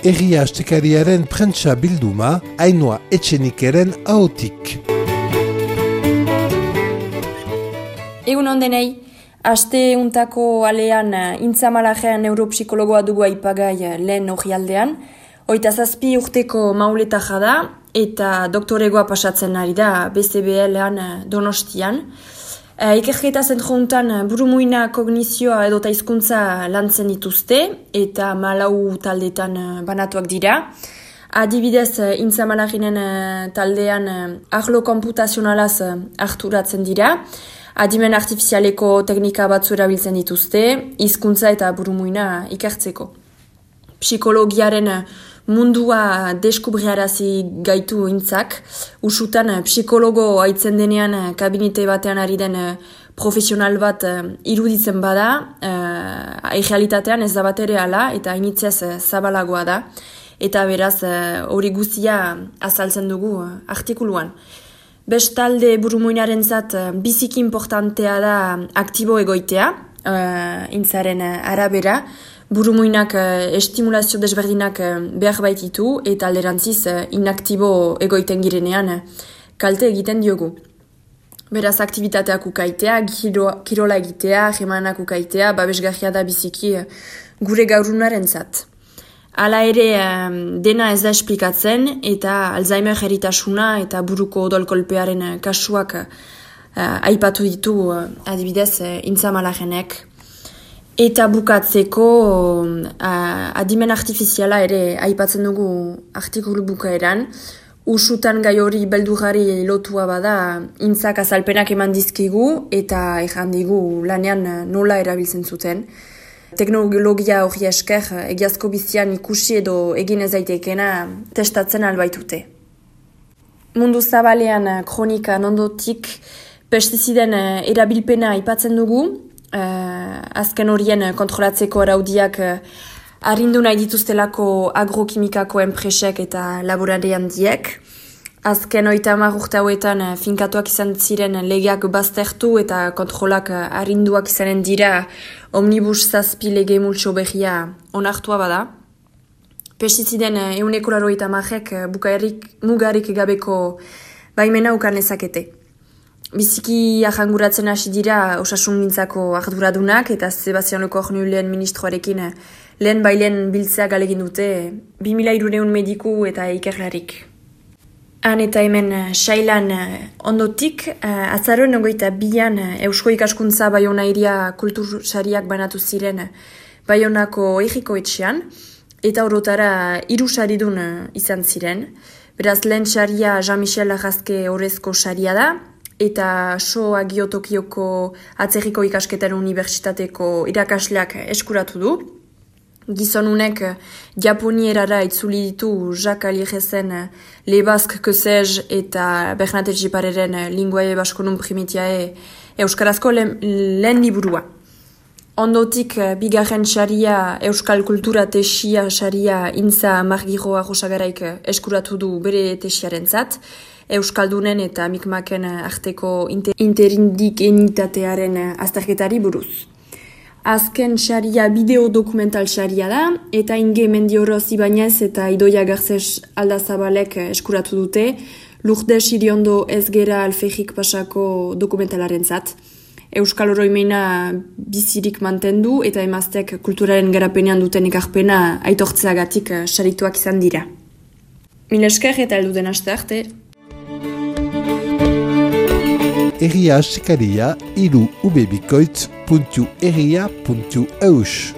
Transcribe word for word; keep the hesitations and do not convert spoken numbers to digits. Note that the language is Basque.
Herria Astekariaren prentsa bilduma, Ainhoa Etxenikeren ahotik. Egun ondenei, aste untako alean Intzamalajean neuropsikologoa dugu aipagai lehen orrialdean. Oita zazpi urteko mauleta jada eta doktoregoa pasatzen ari da B C B L-an Donostian. E, Ikerketa zentro untan burumuina kognizioa edota hizkuntza lantzen dituzte eta malau taldetan banatuak dira. Adibidez, Intzamalajinen taldean arlo konputazionalaz harturatzen dira. Adimen artifizialeko teknika batzu erabiltzen dituzte, hizkuntza eta burumuina ikertzeko. Psikologiaren mundua deskubriarazi gaitu intzak, usutan psikologo aitzen denean kabinete batean ari den profesional bat iruditzen bada, uh, realitatean ez da bat ere ala eta initzez zabalagoa da, eta beraz hori guztia azaltzen dugu artikuluan. Bestalde burumuinaren zat biziki importantea da aktibo egoitea, uh, intzaren arabera. Burumuinak uh, estimulazio desberdinak uh, behar baititu eta alderantziz uh, inaktibo egoiten girenean uh, kalte egiten diogu. Beraz, aktibitateak ukaitea, giro, kirola egitea, jemanak ukaitea, babesgarria da biziki uh, gure gaurunaren zat. Hala ere, um, dena ez da esplikatzen eta Alzheimer eritasuna eta buruko odolkolpearen uh, kasuak uh, aipatu ditu uh, adibidez uh, Intzamalajenek. Eta bukatzeko uh, adimen artifiziala ere aipatzen dugu artikulu bukaeran. Usutan gai hori beldurrari lotua bada intzak azalpenak eman dizkigu eta ejan digu lanean nola erabiltzen zuten. Teknologia hori esker egiazko bizian ikusi edo egin ez daitekena testatzen albaitute. Mundu zabalean kronikan ondotik pestiziden erabilpena aipatzen dugu. Uh, azken horien kontrolatzeko araudiak uh, arrindu nahi dituztelako agrokimikako enpresek eta laborari handiek. Azken oita hamar urte hauetan uh, finkatuak izan ziren legeak baztertu eta kontrolak uh, arrinduak izanen dira omnibus zazpi lege multso behia onartua bada. Pestiziden uh, euneko laroita hamarek uh, bukaerik mugarik gabeko baimena ukan ezakete. Biziki ahanguratzen hasi dira osasungintzako arduradunak eta Sebastianeko Ornu lehen ministroarekin lehen bailen biltzea galegin dute bi mila hirurehun mediku eta ikerlarik. Han eta hemen sailan ondotik, azaroen ogoita bian Eusko Ikaskuntza Baiona iria kultursariak banatu ziren Baionako egiko etxean eta orotara hiru saridun izan ziren. Beraz, lehen saria Jean-Michel Arrazke Orezko saria da, eta So Agio Tokioko atzerriko ikasketaren unibertsitateko irakasleak eskuratu du. Gizonunek japonierara itzuli ditu Jacques Aliegezen Le Basque que sais eta Bernat Etxepareren Linguae Baskonum Primitiae euskarazko lehen, lehen liburua. Ondotik bigarren saria Euskal Kultura tesia saria Intza Margiroa Rosagaraik eskuratu du bere tesiaren zat, Euskaldunen eta mikmaken arteko interindikenitatearen azterketari buruz. Azken saria bideo dokumental saria da, eta Inge Mendioroz Ibanez eta Idoia Garzes Aldazabalek eskuratu dute, Lourdes Iriondo Ezgera Alfejik pasako dokumentalaren zat. Euskal oroimena bizirik mantendu eta emaztek kulturaren garapenean duten ekarpena aitortzeagatik sarituak izan dira. Mil esker eta helduten aste arte. Herria Astekaria hiru ubebikoitz puntu herria puntu eus.